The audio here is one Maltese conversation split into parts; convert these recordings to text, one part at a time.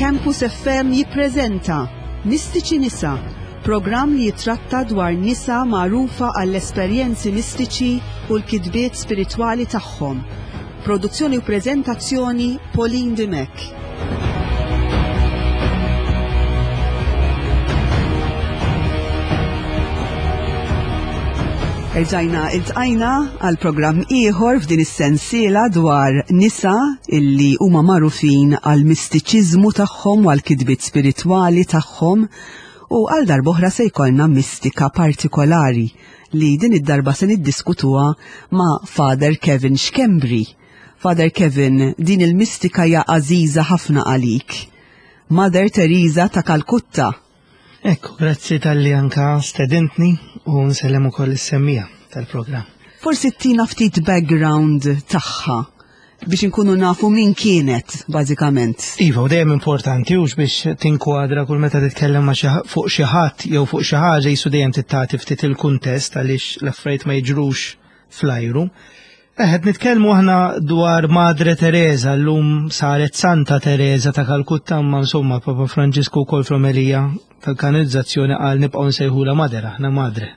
Campus FM jippreżenta Mistiċi Nisa, programm li jitratta dwar nisa magħrufa għall-esperjenzi mistiċi u l-kitbiet spiritwali tagħhom. Produzzjoni u preżentazzjoni Pauline Dimech. Erġajna iltqajna għal programm ieħor f'din is-sensiela dwar nisa illi huma magħrufin għal mistiċiżmu tagħhom u għal kitbiet spiritwali tagħhom u għal darb'oħra se jkollna mistika partikolari li din id-darba se niddiskutuha ma' Father Kevin Schembri. Father Kevin, din il-mistika hija għażiża ħafna għalik. Mother Teresa ta' Kalkutta. Ekku, grazzi tal-li anka stedintni u nsellem ukoll is-semmija tal-programm. Forsi tina ftit background tagħha biex inkunu nafu min kienet, bażikament. Iva, u dejjem importanti hux biex tinkwadra kull meta titkellem ma' fuq xi ħadd jew fuq xi ħaġa jisu dejjem tittati ftit il-kuntest għaliex l-affarijiet ma jiġrux fl-ajru. Qed nitkellmu aħna dwar Madre Teresa, llum saret Santa Teresa ta' Kalkutta, imma insomma Papa Franġisku wkoll fl-omelija tal-kanonizzazzjoni qal nibqgħu nsejħulha Madre, aħna Madre.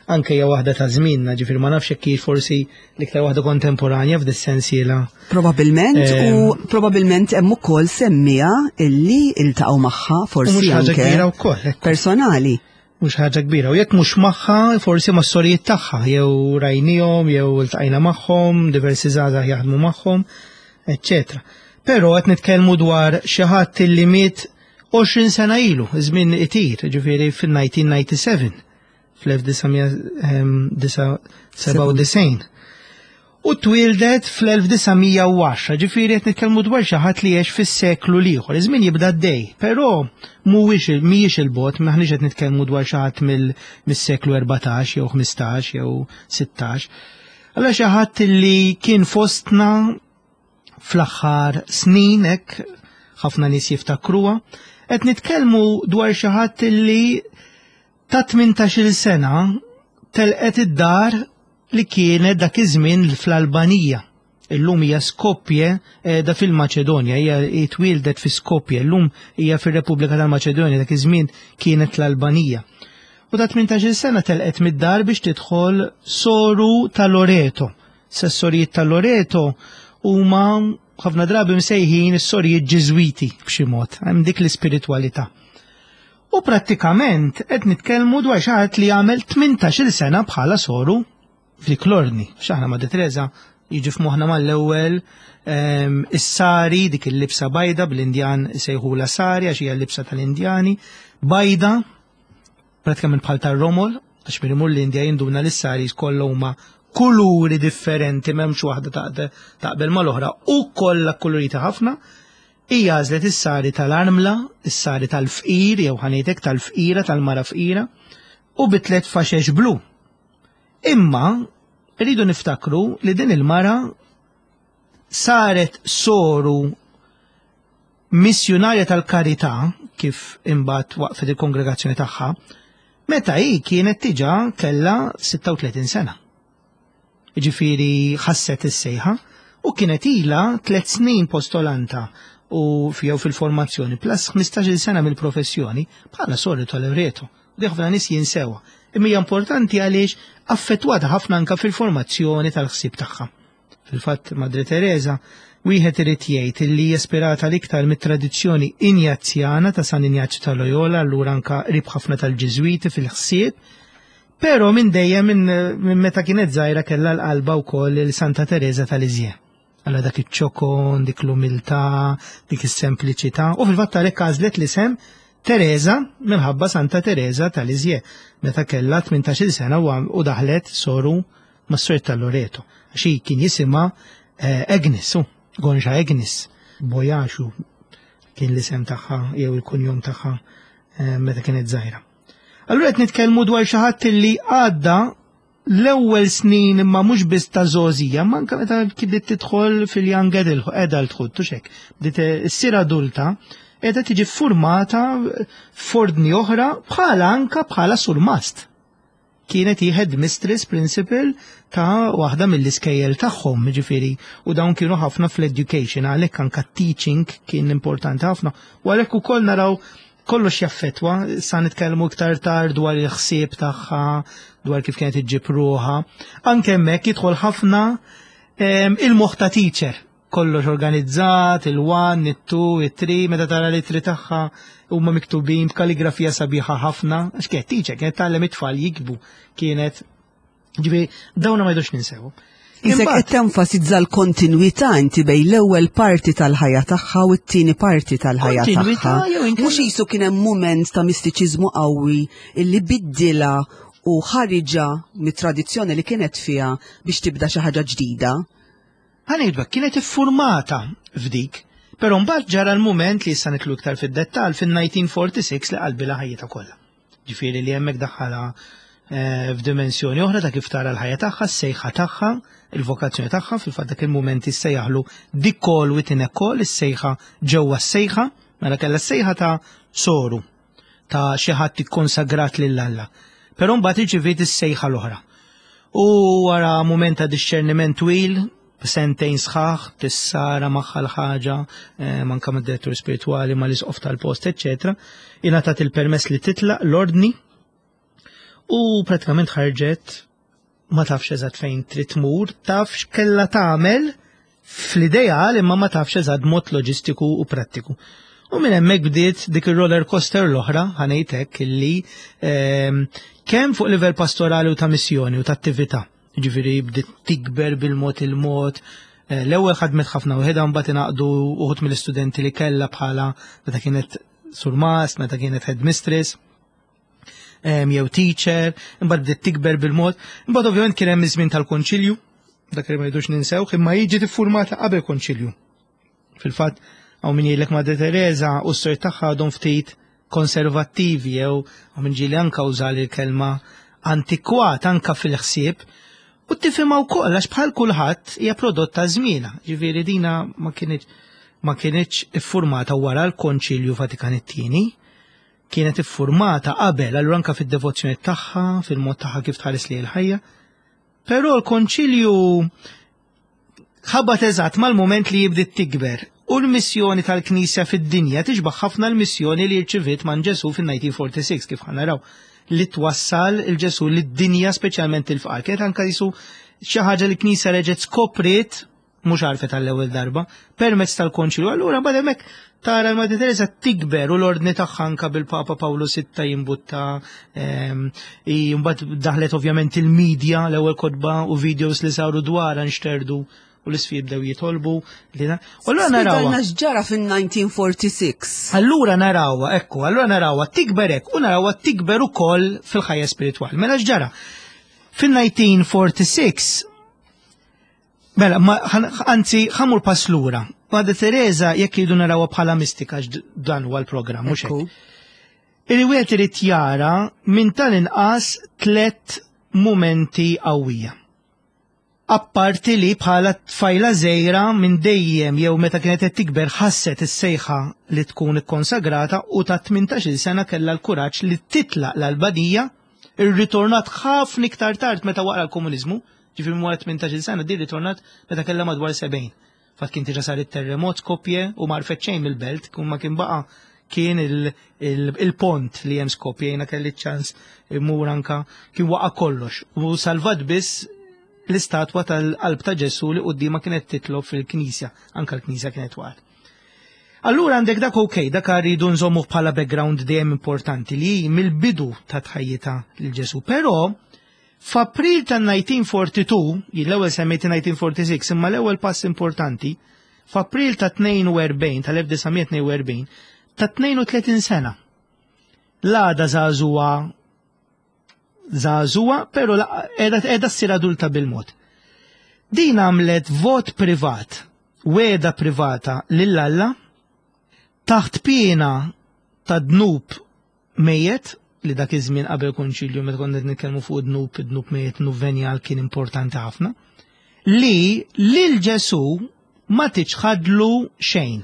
Anke hija waħda ta' żmienna, ġifieri ma nafx jekk forsi l-iktar waħda kontemporanja f'dis-sensiela. Probabilment u ehm, probabilment hemm ukoll semmija illi iltaqgħu magħha forsi anke personali. Mhux ħaġa kbira. U jekk mhux magħha, forsi ma' sorijiet tagħha, jew rajnihom, jew iltqajna magħhom, diversi żgħażagħ jaħdmu magħhom, eċċetera. Però qed nitkellmu dwar xi ħadd li miet 20 sena ilu, żmien itir, ġifieri fil-1997, fl-1997. U twieldet fl-1910, ġifieri qed nitkellmu dwar xi ħadd li għex fis-seklu l-ieħor. Iż-żmien jibda għaddej, però mhuwiex mhijiex il-bogħod, m'aħniex qed nitkellmu dwar xi ħadd mis-seklu 14 jew 15 jew 16. Allura xi ħadd li kien fostna fl-aħħar snin hekk ħafna nies jiftakruha, qed nitkellmu dwar xi ħadd li ta' 18-il sena telqet id-dar li kienet dak iż-żmien fl-Albanija. Illum hija Skopje qiegħda fil-Maċedonja, hija twieldet fi Skopje, illum hija fir-Repubblika tal-Maċedonja, dak iż-żmien kienet l-Albanija. U ta' 18-il sena telqet mid-dar biex tidħol soru ta' Loreto. Sessorijiet ta' Loreto huma ħafna drabi msejħin is-sorijiet Ġiżwiti b'xi mod, hemm dik l-ispiritwalità. U prattikament qed nitkellmu dwar xi ħadd li għamel 18-il sena bħala soru f'dik l-ordni. X'aħna ma' Teresa jiġi f'moħħna mal-ewwel ehm, is-sari dik il-libsa bajda bl-Indjan sejħula sari għax hija l-libsa tal-Indjani, bajda pratikament bħal tar-romol, għax min imur l-Indja jinduna li s-sari kollha huma kuluri differenti m'hemmx waħda taqbel mal-oħra u kollha kulurita ħafna. Hija għażlet is-sari tal-armla, is-sari tal-fqir, jew ħa ngħid hekk tal-fqira, tal-mara fqira, u bi tliet faxex blu. Imma rridu niftakru li din il-mara saret soru missjunarja tal-karità kif imbagħad waqfet il-kongregazzjoni tagħha, meta hi kienet diġà kellha 36 sena. Jiġifieri ħasset is-sejħa u kienet ilha tliet snin postolanta u jew fil-formazzjoni plus 15-il sena mill-professjoni bħala soru tal-Loreto. Di ħafna nies jinsewha. Imma hija importanti għaliex affettwata ħafna anka fil-formazzjoni tal-ħsieb tagħha. Fil-fatt Madre Teresa wieħed irid jgħid li hija ispirata l-iktar mit-tradizzjoni Injazzjana ta' San Injazju ta' Loyola, allura anka qrib ħafna tal-Ġiżwiti fil-ħsieb, Però minn dejjem minn meta kienet żgħira kellha l-qalba wkoll il Santa Tereża ta' Lisieux. Alla dak iċ-ċokon, dik l-umiltà, dik is-sempliċità. U fil-fatt għalhekk għażlet l-isem Tereża minħabba Santa Tereża ta' Lisieux meta kellha 18-il sena u daħlet soru mas-Sor ta' Loreto. Għax hi kien jisimha eh, Agnes, Gonxa Agnes, Bojaxu kien l-isem tagħha jew il-kunjom tagħha eh, meta kienet żgħira. Allura qed nitkellmu dwar xi ħadd li għadda l-ewwel snin imma mhux biss ta' żgħożija, ma anke meta bdiet tidħol fil-young adulthood, tux hekk, bdiet issir adulta, qiegħda tiġi ffurmata f'ordni oħra bħala anka bħala surmast. Kienet hi headmistress principal ta' waħda mill-iskejjel tagħhom, ġifieri, u dawn kienu ħafna fl-education, għalhekk anka teaching kien importanti ħafna. U għalhekk ukoll naraw kollox jaffetwa, sa nitkellmu iktar tard dwar il-ħsieb tagħha, dwar kif kienet iġġib ruħha. Anke hemmhekk jidħol ħafna ehm, il-moħħ ta' teacher kollox organizzat, il-1, it-2, it-3, meta tara l-ittri tagħha huma miktubin b'kaligrafija sabiħa ħafna, għax kienet teacher, kienet tgħallem it-tfal jikbu, kienet ġifieri dawna ma jdux ninsew. Isek qed tenfasizza l-kontinwità inti bejn l-ewwel parti tal-ħajja tagħha u t-tieni parti tal-ħajja tagħha. Mhux qisu kien hemm mument ta' mistiċiżmu qawwi illi biddilha u ħariġha mit-tradizzjoni li kienet fiha biex tibda xi ħaġa ġdida. Ħa ngħidu hekk, kienet iffurmata f'dik, però mbagħad ġara l-mument li issa nidħlu iktar fid-dettall fin-1946 li qalbilha ħajjitha kollha. Ġifieri li hemmhekk daħħalha eh, f'dimensjoni oħra ta' kif tara l-ħajja tagħha, s-sejħa tagħha, il-vokazzjoni tagħha, fil-fatt dak il-mument issejjaħlu the call within a call, is-sejħa ġewwa s-sejħa, mela kellha s-sejħa ta' soru ta' xi ħadd ikkonsagrat lil Alla. Però mbagħad irċiviet is-sejħa l-oħra. U wara mument ta' dixxerniment twil, sentejn sħaħ, tissara magħha l-ħaġa, eh, manka mad-direttur spiritwali, mal-isqof tal-post, eċċetera, ingħatat il-permess li titlaq l-ordni u pratikament ħarġet ma tafx eżatt fejn trid tmur, taf x'kellha tagħmel fl-ideal imma ma tafx eżatt mod loġistiku u prattiku. U minn hemmhekk bdiet dik ir-roller coaster l-oħra ħanejt hekk illi ehm, kemm fuq livell pastorali u ta' missjoni u ta' attività. Ġifieri bdiet tikber bil-mod il-mod. Eh, l-ewwel ħadmet ħafna waħedha mbagħad ingħaqdu uħud mill-istudenti li kellha bħala meta kienet surmast, meta kienet headmistress jew teacher, imbagħad bdiet tikber bil-mod. Imbagħad ovvjament kien hemm iż-żmien tal-konċilju, dak li ma jridux ninsewh, imma jiġi tiffurmata qabel konċilju. Fil-fatt, hawn min jgħidlek Madre Teresa u s-sor tagħha għadhom ftit konservattivi jew hawn min ġieli anka uża l-kelma antikwat anka fil-ħsieb u tifhimha wkoll għax bħal kulħadd hija prodott ta' żmienha. Ġifieri dina ma kienx ma kienx iffurmata wara l-Konċilju Vatikan it-tieni, kienet iffurmata qabel, allura anka fid-devozzjoni tagħha, fil-mod tagħha kif tħares li l-ħajja. Però l-konċilju ħabat eżatt mal-moment li jibdiet tikber u l-missjoni tal-Knisja fid-dinja tixbaħ ħafna l-missjoni li rċiviet man Ġesu fin-1946 kif ħanaraw li twassal il-Ġesu lid-dinja speċjalment il-fqar. Kienet anka jisu xi ħaġa li Knisja reġgħet skopriet mhux għarfet għall-ewwel darba, permezz tal-konċilju. Allura mbagħad hemmhekk tara l-Madre Teresa tikber u l-ordni tagħha anka bil-Papa Pawlu VI jimbutta ehm, mbagħad daħlet ovvjament il-medja l-ewwel kotba u videos li saru dwarha nxterdu u l-isfi jibdew jitolbu. U allura narawha. X'ġara fin-1946. Allura narawha, ekku, allura narawha tikber hekk u narawha tikber ukoll fil-ħajja spiritwali. Mela x'ġara? Fin-1946 Mela, anzi, ħamur pass lura. Madre Teresa jekk jridu narawha bħala mistika dan huwa l-programm, mhux hekk. Illi wieħed irid jara minn tal-inqas tlet mumenti qawwija. Apparti li bħala tfajla żgħira minn dejjem jew meta kienet qed tikber ħasset is-sejħa li tkun ikkonsagrata u ta' 18-il sena kellha l-kuraġġ li titlaq l-Albanija, irritornat ħafna iktar tard meta waqra l-komuniżmu, Ġifieri minn wara 18-il sena din ritornat meta kellha madwar 70. Fatt kien diġà sar it-terremot Skopje u ma għarfet xejn mill-belt, kun ma kien baqa' kien il-pont li hemm Skopje, jiena kelli ċans immur anka kien waqa' kollox. U salvat biss l-istatwa tal-qalb ta' Ġesu li quddiema kienet titlob fil-knisja, anka l-knisja kienet waqgħet. Allura għandek dak ok, dak rridu nżommuh bħala background dejjem importanti li mill-bidu ta' tħajjita lil Ġesu. Però F'April tan-1942, jien l-ewwel semmejt 1946, imma l-ewwel pass importanti, f'April ta' 42, tal-1942, ta' 32 sena. L-għada żagħżugħa żagħżugħa, però qiegħda qiegħda ssir adulta bil-mod. Din għamlet vot privat, wegħda privata lil Alla taħt piena ta' dnub mejjet, li dak iż-żmien qabel konċilju meta konna qed nitkellmu fuq dnub, dnub mejjet, dnub venjal kien importanti ħafna, li lil Ġesu ma tiċħadlu xejn.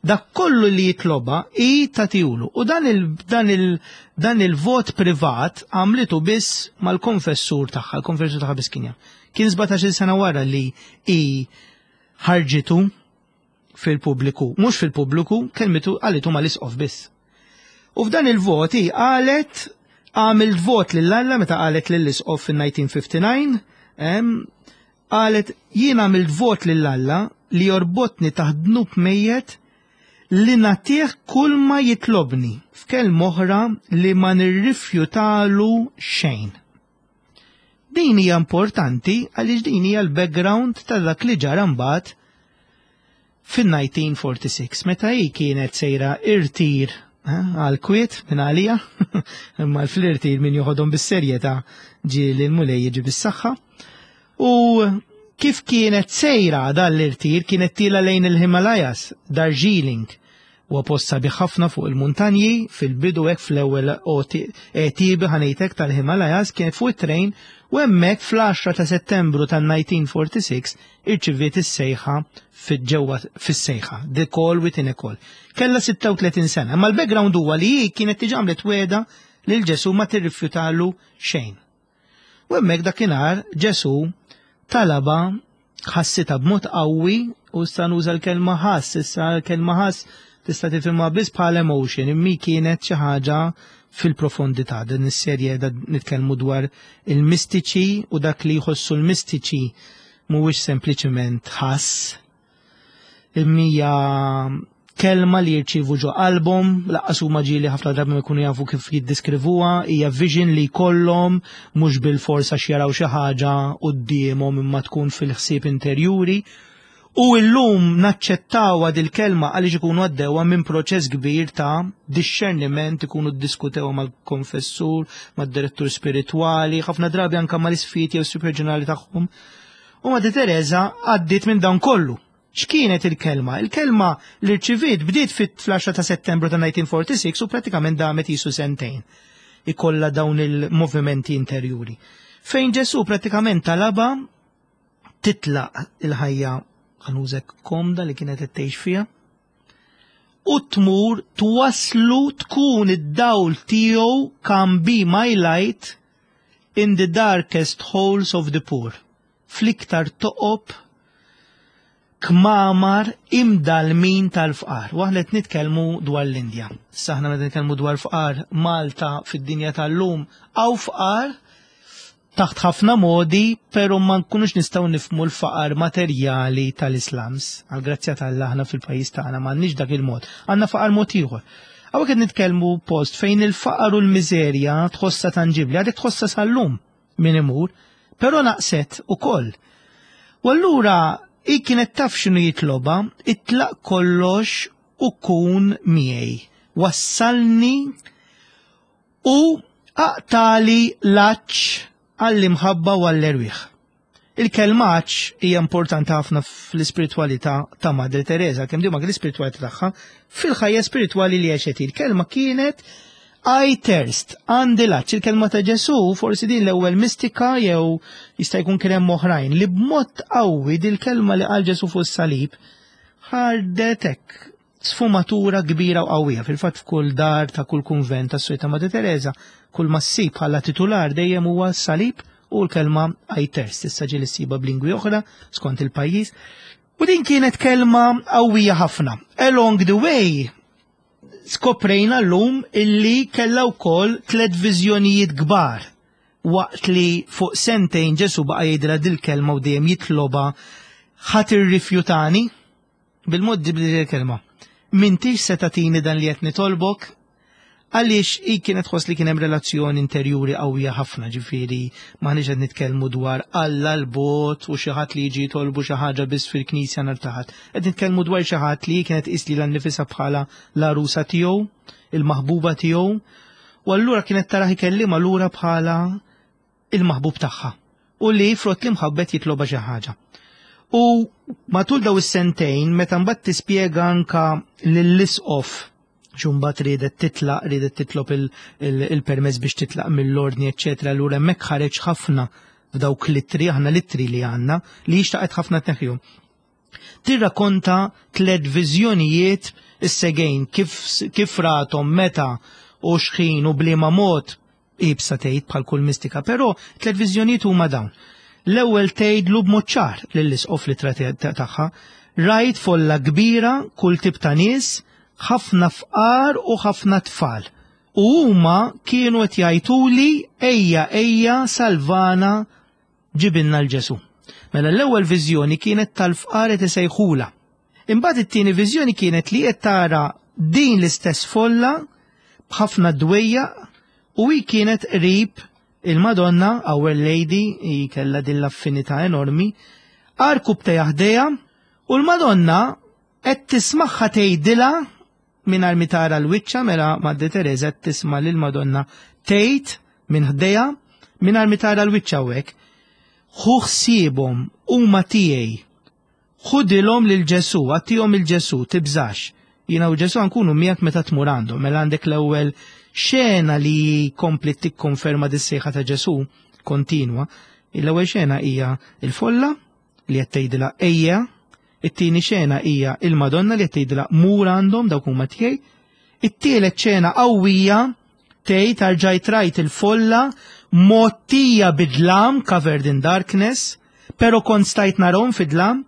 Dak kollu li jitloba hi tagħtihulu. U dan il, dan il, dan il-vot privat għamlitu biss mal-konfessur tagħha, il-konfessur tagħha biss kien jaf. Kien 17-il sena wara li hi ħarġitu fil-pubbliku, mhux fil-pubbliku, kelmitu qalitu mal-isqof biss. U f'dan il-vot hi qalet għamilt vot lil Alla meta qalet lill-isqof fin-1959, Qalet, Jien għamilt vot lil Alla li jorbotni taħt dnub mejjet li nagħtih kulma jitlobni, f'kelma oħra li ma nirrifjutalu xejn. Din hija importanti għaliex din hija l-background ta' dak li ġara mbagħad fin-1946 meta hi kienet sejra irtir eh, għal kwiet minn għalija, imma l-flirtir min joħodhom bis-serjetà ġieli l-Mulej jiġi bis-saħħa. U kif kienet sejra dan l-irtir kienet tila lejn il-Himalayas, Darjeeling, Huwa post sabiħ ħafna fuq il-muntanji, fil-bidu hekk fl-ewwel għetiebi ħa ngħid hekk tal-Himalayas kienet fuq it-trejn u hemmhekk fl-10 ta' Settembru tan-1946 irċiviet is-sejħa ġewwa fis-sejħa, the call within a call. Kellha 36 sena, imma l-background huwa li hi kienet diġà għamlet wegħda lil Ġesù ma tirrifjutalu xejn. U hemmhekk dakinhar Ġesù talabha ħassitha b'mod qawwi u issa nuża l-kelma ħass, issa l-kelma ħass tista' tifhimha biss bħala emotion, immi kienet xi ħaġa fil-profondità. Din is-serje da nitkellmu dwar il-mistiċi u dak li jħossu l-mistiċi mhuwiex sempliċement ħass, Imma kelma li jirċievu ġo qalbhom, laqqas huma ġieli ħafna drabi ma jkunu jafu kif jiddiskrivuha, hija vision li jkollhom mhux bil-fors għax jaraw xi ħaġa quddiemhom imma tkun fil-ħsieb interjuri. U illum naċċettawha dil-kelma għaliex ikunu għaddewha minn proċess kbir ta' dixxerniment, ikunu ddiskutewha mal-konfessur, mad-direttur spiritwali, ħafna drabi anke mal-isfijiet jew superġenerali tagħhom. U Madre Teresa għaddiet minn dan kollu. X'kienet il-kelma? Il-kelma li rċiviet bdiet fit-10 ta' Settembru ta' 1946 u pratikament damet jisu sentejn. Ikolla dawn il-movimenti interjuri. Fejn Ġesu pratikament talaba titlaq il-ħajja ħanużek komda li kienet qed tgħix fiha u tmur twaslu tkun id-dawl tiegħu come be my light in the darkest holes of the poor, fl-iktar toqob kmamar imdalmin tal-fqar. U aħna qed nitkellmu dwar l-Indja. Issa aħna meta nitkellmu dwar fqar Malta fid-dinja tal-lum hawn fqar taħt ħafna modi, pero ma nkunux nistgħu nifmu l-faqar materjali tal-Islams. Għal grazzja tal aħna fil-pajjiż tagħna m'għandniex dak il-mod. Għandna faqar mod ieħor. Hawnhekk qed nitkellmu post fejn il-faqar u l-miżerja tħossha tanġibli, għadek tħossha sal-lum min imur, però naqset ukoll. U allura hi kienet taf x'inhu jitloba, itlaq kollox u kun miegħi. Wassalni u aqtali l-għatx għall-imħabba u għall-erwieħ. Il-kelma għatx hija importanti ħafna fl-ispiritwalità ta' Madre Teresa, kemm dima l-ispiritwalità tagħha fil-ħajja spiritwali li għexet. Il-kelma kienet I thirst, għandi l-għatx. Il-kelma ta' Ġesu, forsi din l-ewwel mistika jew jista' jkun kien hemm oħrajn li b'mod qawwi dil-kelma li qal Ġesu fuq is-salib ħardet hekk sfumatura kbira u qawwija. Fil-fatt f'kull dar ta' kull kunvent tas Sojta Madre Teresa, kull ma ssib bħala titular dejjem huwa salib u l-kelma I thirst. Issa ġieli ssiba b'lingwi oħra skont il-pajjiż. U din kienet kelma qawwija ħafna. Along the way, skoprejna llum illi kellha wkoll tliet viżjonijiet kbar waqt li fuq sentejn Ġesu baqa' jgħidilha dil-kelma u dejjem jitloba ħa tirrifjutani? Bil-mod ġibli l-kelma. M'intix se tagħtini dan li qed nitolbok? Għaliex hi kienet tħoss li kien hemm relazzjoni interjuri qawwija ħafna, ġifieri m'aħniex qed nitkellmu dwar Alla l-bogħod u xi ħadd li jiġi jitolbu xi ħaġa biss fil-knisja nhar ta' Ħadd. Qed nitkellmu dwar xi ħadd li hi kienet tqis lilha nnifisha bħala l-għarusa tiegħu, il-maħbuba tiegħu, u allura kienet tarah ikellimha lura bħala il-maħbub tagħha u li frott l-imħabbet jitloba xi ħaġa. U matul daw is-sentejn meta mbagħad tispjega anka lill-isqof xumbat riedet titlaq, riedet titlob il-permess biex titlaq mill-ordni, eċċetera. Allura hemmhekk ħareġ ħafna f'dawk l-ittri, aħna l-ittri li għandna, li xtaqet ħafna tneħħihom. Tirrakonta tlet viżjonijiet is-segejn kif, kif ratom meta u xħin u bliema mod ibsa tgħid bħal kull mistika, però tlet viżjonijiet huma dawn. L-ewwel tgħidlu b'mod ċar lill-isqof li tagħha, rajt folla kbira kull tip ta' nies, ħafna fqar u ħafna tfal. U huma kienu qed jgħiduli ejja ejja salvana ġibilna 'l Ġesù. Mela l-ewwel viżjoni kienet tal-fqar qed isejħulha. Imbagħad it-tieni viżjoni kienet li qed tara din l-istess folla b'ħafna dwejjaq u hi kienet qrib il-Madonna, Our Lady, hi kellha din l-affinità enormi, għarkub ħdejha u l-Madonna qed tismagħha tgħidilha mingħajr mi tara l-wiċċa mela Madre Teresa qed tisma' lil Madonna tgħid minn ħdejha mingħajr mi tara l-wiċċa hawnhekk. Ħu ħsiebhom huma tiegħi. Ħudilhom lil Ġesù, agħtihom il Ġesù, tibżax. Jiena u Ġesù nkunu miegħek meta tmur għandhom. Mela għandek l-ewwel xena li kompli tikkonferma dis-sejħa ta' Ġesù kontinwa. L-ewwel xena hija il-folla li qed tgħidilha ejja, it-tieni xena hija il-Madonna li qed tgħidilha mur għandhom dawk huma tiegħi. It-tielet xena qawwija tgħid arġajt rajt il-folla mgħottija bid-dlam covered in darkness, pero kont stajt narhom fid-dlam.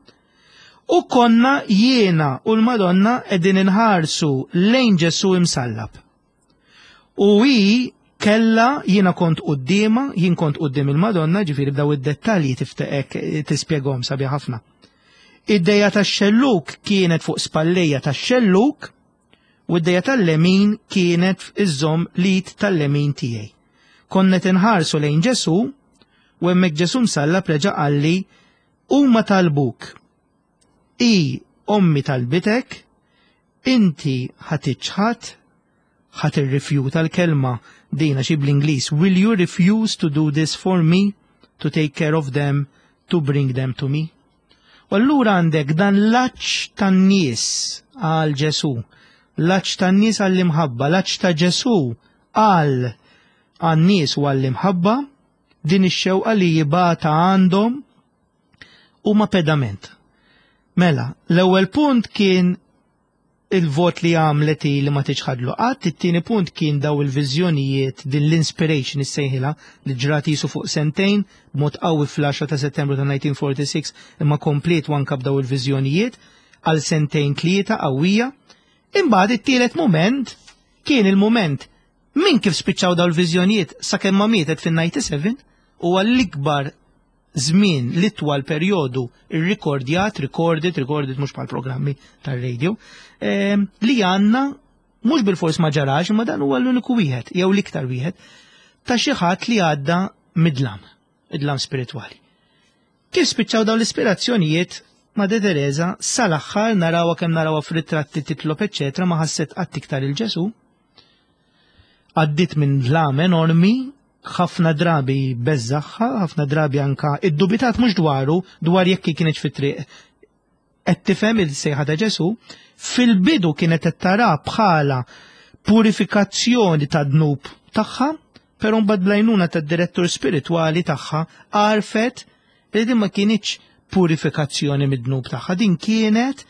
U konna jiena u l-Madonna qegħdin inħarsu lejn Ġesù imsallab. U hi kella jiena kont quddiema, jien kont quddiem il-Madonna, ġifieri b'daw id-dettalji tifteqek tispjegahom sabiħ ħafna. Id-dejja tax-xelluk kienet fuq spallejja tax-xelluk u id-dejja tal-lemin kienet iżżomm l-id tal-lemin tiegħi. Konna inħarsu lejn Ġesù u hemmhekk Ġesù msallab reġa' qalli huma talbuk. I ommi talbitek, inti ħa tiċħad, ħa tirrifjuta l-kelma dina xi bl-Ingliż, will you refuse to do this for me, to take care of them, to bring them to me? U allura għandek dan l-għatx tan-nies għal Ġesù, l-għatx tan-nies għall-imħabba, l-għatx ta' Ġesù għal għan-nies u għall-imħabba, din ix-xewqa li jibgħatha għandhom huma pedament. Mela, l-ewwel punt kien il-vot li għamlet li ma tiċħadlu qatt, it-tieni punt kien daw il-viżjonijiet din l-inspiration issejħilha li ġrat jisu fuq sentejn b'mod qawwi fl-10 ta' Settembru ta' 1946 imma komplet anka b'daw il-viżjonijiet għal sentejn tlieta qawwija. Imbagħad it-tielet moment kien il-moment minn kif spiċċaw daw il-viżjonijiet sakemm ma mietet fin-97 u għall-ikbar żmien l-itwal perjodu irrikordjat, recorded, recorded mhux bħal programmi tar-radio, li għandna mhux bil-fors ma ġarax, imma dan huwa l-uniku wieħed, jew l-iktar wieħed, ta' xi ħadd li għadda mid-dlam, id-dlam spiritwali. Kif spiċċaw dawn l-ispirazzjonijiet Madre Teresa sal-aħħar narawha kemm narawha f'ritratti titlob eċċetera ma ħasset qatt iktar il Ġesù. Għaddit minn dlam enormi, ħafna drabi beżżagħha, ħafna drabi anka iddubitat mhux dwaru, dwar jekk kienet fit-triq qed tifhem il-sejħa ta' Ġesù, fil-bidu kienet qed tara bħala purifikazzjoni ta' dnub tagħha, però mbagħad bl-għajnuna tad-direttur spiritwali tagħha għarfet li din ma kinitx purifikazzjoni mid-dnub tagħha, din kienet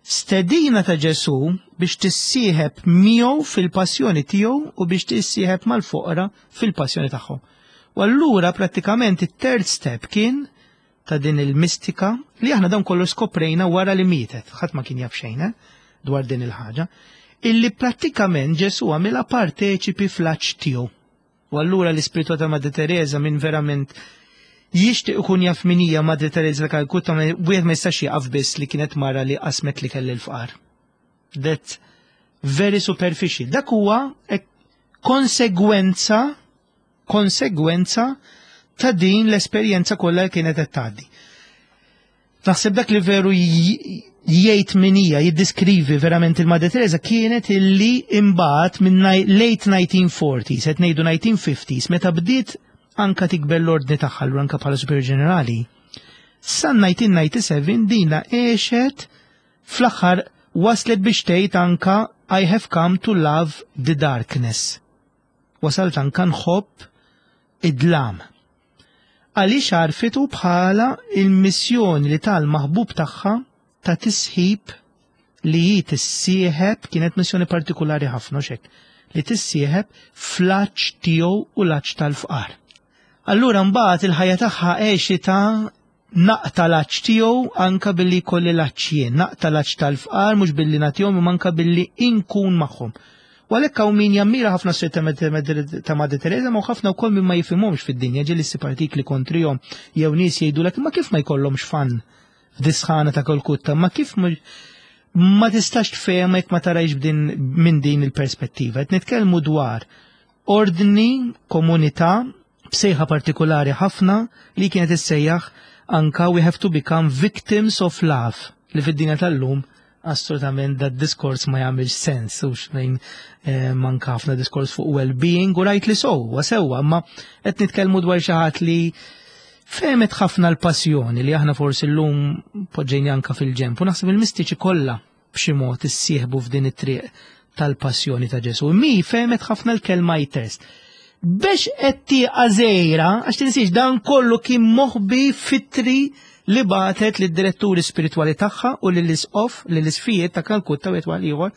stedina ta' Ġesù biex tissieħeb miegħu fil-passjoni tiegħu u biex tissieħeb mal-foqra fil-passjoni tagħhom. U allura prattikament it-third step kien ta' din il-mistika li aħna dawn kollu skoprejna wara li mietet, ħadd ma kien jaf xejn eh, dwar din il-ħaġa, illi prattikament Ġesù għamilha parteċipi fl-għatx tiegħu. U allura l-ispiritu ta' Madre Teresa minn verament jixtieq ikun jaf min hija Madre Teresa ta' Calcutta wieħed ma jistax jaqaf biss li kienet mara li qasmet li kelli l-fqar. That very superficial. Dak huwa konsegwenza konsegwenza ta' din l-esperjenza kollha li kienet qed tgħaddi. Naħseb dak li veru jgħid min hija, jiddiskrivi verament il-Madre Teresa kienet illi imbagħad minn late 1940s, qed ngħidu 1950s, meta bdiet anka tikber l-ordni tagħha l anka bħala Superior Ġenerali. Sa 1997 dina għexet fl-aħħar waslet biex tgħid anka I have come to love the darkness. Wasalt anka nħobb id-dlam. Għaliex għarfitu bħala il-missjoni li tal-maħbub tagħha ta' tisħib li hi tissieħeb kienet missjoni partikulari ħafna xek li tissieħeb fl-għatx tiegħu u l-għatx tal-fqar. Allura mbagħad il-ħajja tagħha għexitha naqta l-għatx tiegħu anka billi jkolli l-għatx jien, naqta l-għatx tal-fqar mhux billi nagħtihom imma anka billi inkun magħhom. U għalhekk hawn min jammira ħafna s ta' Madre Teresa ma ħafna wkoll min ma jifhimhomx fid-dinja ġieli ssib artikli kontrihom jew nies jgħidulek imma kif ma jkollhomx fan f'disħana ta' Kolkutta, ma kif ma tistax tfehma jekk ma tarajx b'din minn din il-perspettiva. Qed nitkellmu dwar ordni, komunità, b'sejħa partikulari ħafna li kienet issejjaħ anka we have to become victims of love li fid-dinja tal-lum assolutament da diskors ma jagħmilx sens u xejn eh, manka ħafna diskors fuq well-being u rajt li sow, sewwa, ma qed nitkellmu dwar xi ħadd li fehmet ħafna l-passjoni li aħna forsi llum poġġejni anka fil-ġemp u naħseb il-mistiċi kollha b'xi mod issieħbu f'din it-triq tal-passjoni ta' Ġesu. Mi fehmet ħafna l-kelma jtest. Bex qed tieqa żejra, għax tinsiex dan kollu kien moħbi fitri li batet lid diretturi spiritwali tagħha u lill-isqof, lill-isfijiet ta' Kalkutta u ieħor ieħor,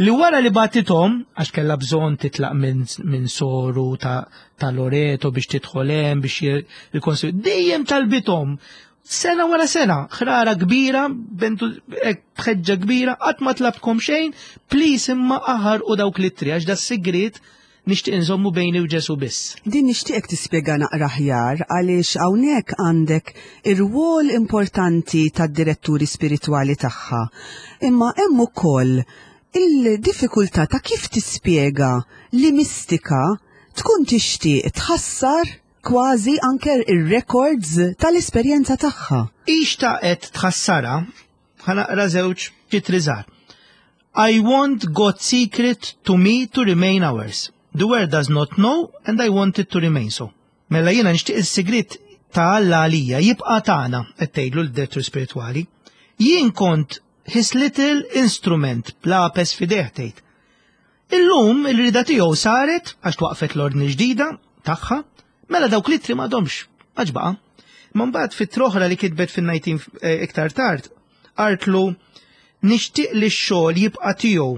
li wara li batithom, għax kellha bżonn titlaq minn min soru ta', ta Loreto biex tidħol hemm biex il-konsil, dejjem talbithom Sena wara sena, ħrara kbira, bentu bħeġġa kbira, qatt ma tlabtkom xejn, please imma aħar u dawk l-ittri għax da sigriet nixtieq inżommu bejni u Ġesu biss. Din nixtieqek tispjega naqra aħjar għaliex hawnhekk għandek ir-rwol importanti tad-diretturi spiritwali tagħha. Imma hemm ukoll il-diffikultà ta' kif tispjega li mistika tkun tixtieq tħassar kważi anke ir-records tal-esperjenza tagħha. Hi xtaqet tħassarha, ħa naqra żewġ titri żgħar. I want God's secret to me to remain ours. The world does not know and I want it to remain so. Mela jiena nixtieq is-sigriet ta' Alla għalija jibqa' tagħna, qed tgħidlu l-direttur spiritwali. Jien kont his little instrument b'lapes f'idejh tgħid. Illum il-rida tiegħu saret għax twaqfet l-ordni ġdida tagħha, mela dawk l-ittri m'għadhomx għax baqa'. Ma mbagħad fit-troħra li kitbet fin-19 eh, iktar tard, artlu nixtieq li x-xogħol jibqa' tiegħu.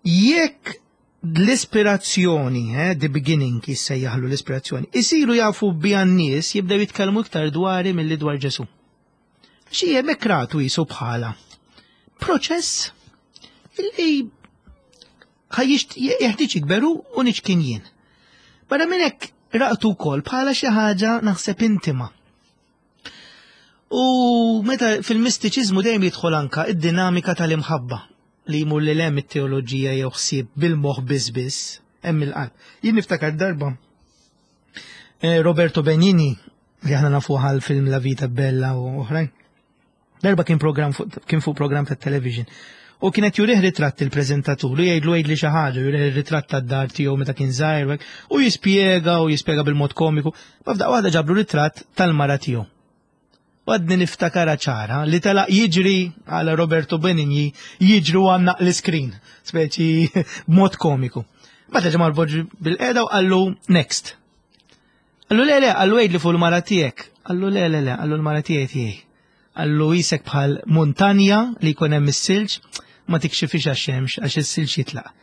Jekk l-ispirazzjoni, eh, the beginning jissejjaħlu l-ispirazzjoni, isiru jafu bija n-nies jibdew jitkellmu iktar dwari milli dwar Ġesu. Xi hemmhekk ratu jisu bħala proċess illi jeħtieġ jikberu u niċkien jien. Barra minn hekk raqtu wkoll bħala xi ħaġa naħseb intima. U meta fil-mistiċiżmu dejjem jidħol anka id-dinamika tal-imħabba li jmur lil hemm it-teoloġija jew ħsieb bil-moħħ biss biss hemm il-qalb. Jien niftakar darba eh, Roberto Benigni li aħna nafu għal film La Vita Bella u oħrajn. Darba kien program kien fuq program ta' television. U kienet jurih ritratt il-preżentatur u jgħidlu jgħidli xi ħaġa, jurih ritratt tad-dar tiegħu meta kien żgħir u jispjega u jispjega bil-mod komiku. Ma f'daqqa waħda ġablu ritratt tal-mara tiegħu. U għadni niftakara ċara li telaq jiġri għal Roberto Benigni jiġru għannaq l-iskrin, speċi b'mod komiku. Bata ġemal boġ bil-qeda u qallu next. Qallu le le, qallu għidli fuq il-mara tiegħek. Qallu le le le, qallu l-mara tiegħi tiegħi. Qallu jisek bħal muntanja li jkun hemm is-silġ, ma tikxifix għax-xemx għax is-silġ jitlaq.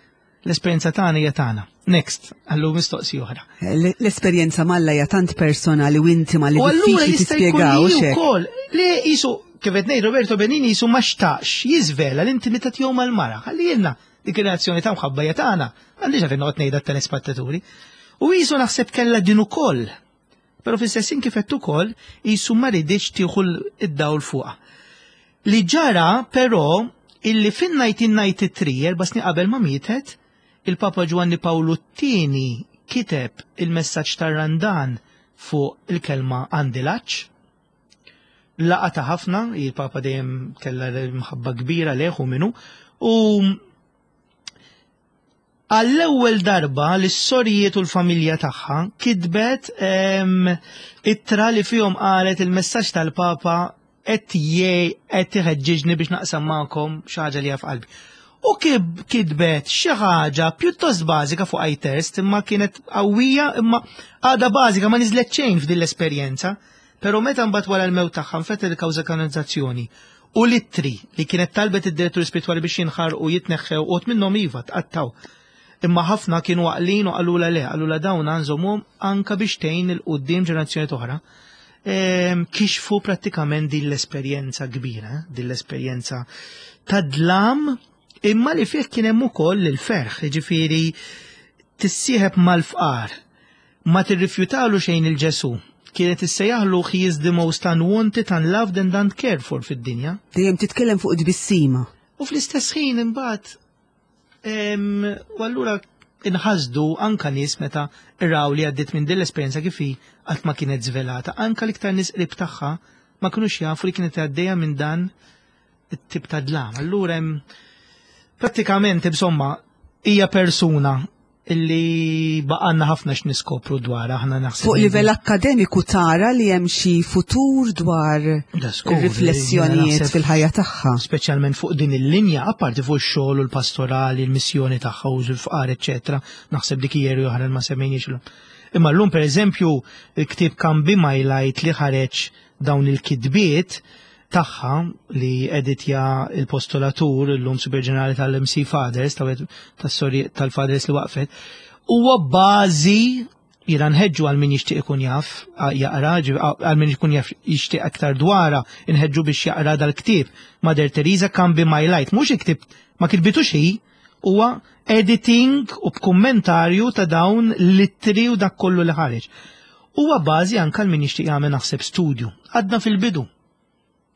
L-esperjenza tagħna hija tagħna. Next, qallu mistoqsi oħra. L-esperjenza m'Alla hija tant personali u intima li diffiċli tispjegaw ukoll li jisu kif qed ngħid Roberto Benini jisu ma xtaqx jiżvela l-intimità tiegħu mal-mara. Ħalli jielna dik ir-relazzjoni ta' mħabba hija tagħna. Għandix għalfejn noqgħod ngħidha t-telespettaturi. U jisu naħseb kellha din ukoll. Però fl-istess kif qed ukoll jisu ma riditx tieħu id-dawl fuqha. Li ġara però illi fin-1993, erba' snin qabel ma mietet, il-Papa Ġwanni Pawlu t-tieni kiteb il-messaġġ tar-Randan fuq il-kelma għandi l-għatx. Laqata ħafna, il-Papa dejjem kellha mħabba kbira lejh u minnu, u għall-ewwel darba l-sorijiet u l-familja tagħha kitbet ittra li fihom qalet il-messaġġ tal-Papa qed qed iħeġġiġni biex naqsam magħkom xi ħaġa li f'qalbi. U kitbet xi ħaġa pjuttost bażika fuq iTest imma kienet qawwija imma għadha bażika ma niżlet xejn f'din l-esperjenza. Però meta mbagħad wara l-mewt tagħha nfetħet il-kawża kanonizzazzjoni u l-ittri li kienet talbet id-direttur spiritwali biex jinħarqu jitneħħew u minnhom iva tqattaw. Imma ħafna kienu għaqlin u qalula le, qalula dawn għanżomhom anka biex tgħin 'il quddiem ġenerazzjoni oħra. Kixfu prattikament din l-esperjenza kbira, din l-esperjenza ta' dlam imma li fih kien hemm ukoll il-ferħ, jiġifieri tissieħeb mal-fqar, ma tirrifjutalu xejn il-Ġesù. Kienet issejjaħlu he is the most unwanted, unloved and uncared for fid-dinja. Dejjem titkellem fuq tbissima. U fl-istess ħin imbagħad u allura inħasdu anka nies meta raw li għaddiet minn din l-esperjenza kif hi qatt ma kienet żvelata. Anka l-iktar nies qrib tagħha ma kinux jafu li kienet għaddejja minn dan it-tip ta' dlam. Allura hemm prattikament insomma hija persuna illi baqanna ħafna x'niskopru dwar aħna naħseb. Fuq livell akkademiku tara li hemm xi futur dwar riflessjonijiet fil-ħajja tagħha. Speċjalment fuq din il-linja, apparti fuq ix-xogħol u l-pastorali, l-missjoni tagħha u l-fqar, eċetera, naħseb dik hija oħra li ma semmejniex illum. Imma llum pereżempju il-ktieb Come Be My Light li ħareġ dawn il-kitbiet tagħha li editja il-postulatur illum Super Ġenerali tal-MC Fathers tas-sorji tal-Fathers li waqfet huwa bażi jiena nħeġġu għal min jixtieq ikun jaf jaqra għal min ikun jaf jixtieq aktar dwarha nħeġġu biex jaqra dal-ktieb Mother Teresa Come Be My Light mhux il-ktieb ma kitbitux hi huwa editing u b'kummentarju ta' dawn l-ittri u dak kollu li ħareġ. Huwa bażi anke għal min jixtieq jagħmel naħseb studju. Għadna fil-bidu.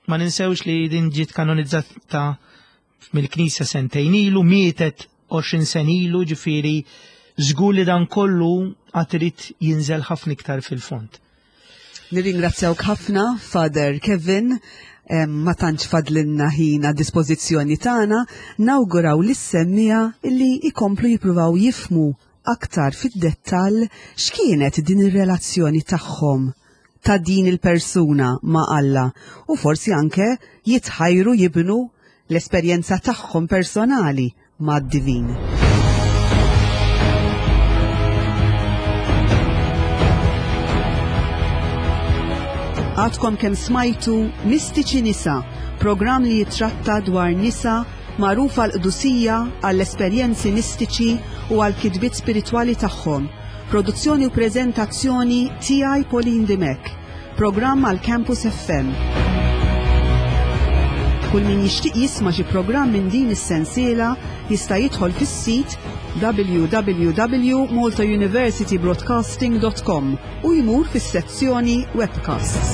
Ma ninsewx li din ġiet kanonizzata mill-Knisja sentejn ilu, mietet 20 sen ilu, ġifieri żgur li dan kollu għad irid jinżel ħafna iktar fil-fond. Nirringrazzjawk ħafna, Father Kevin, ma tantx fadlinna ħin għad dispożizzjoni tagħna, nawguraw lis-semmiegħa li jkomplu jippruvaw jifhmu aktar fid-dettall x'kienet din ir-relazzjoni tagħhom ta' din il-persuna ma' Alla u forsi anke jitħajru jibnu l-esperjenza tagħhom personali mad-divin. Għadkom kemm smajtu Mistiċi Nisa, programm li jitratta dwar nisa magħrufa l-qdusija għall-esperjenzi mistiċi u għall-kitbiet spiritwali tagħhom. Produzzjoni u preżentazzjoni tiegħi Pauline Dimech. Programm għal Campus FM. Kull min jixtieq jisma' xi programm minn din is-sensiela jista' jidħol fis-sit www.maltauniversitybroadcasting.com u jmur fis-sezzjoni Webcasts.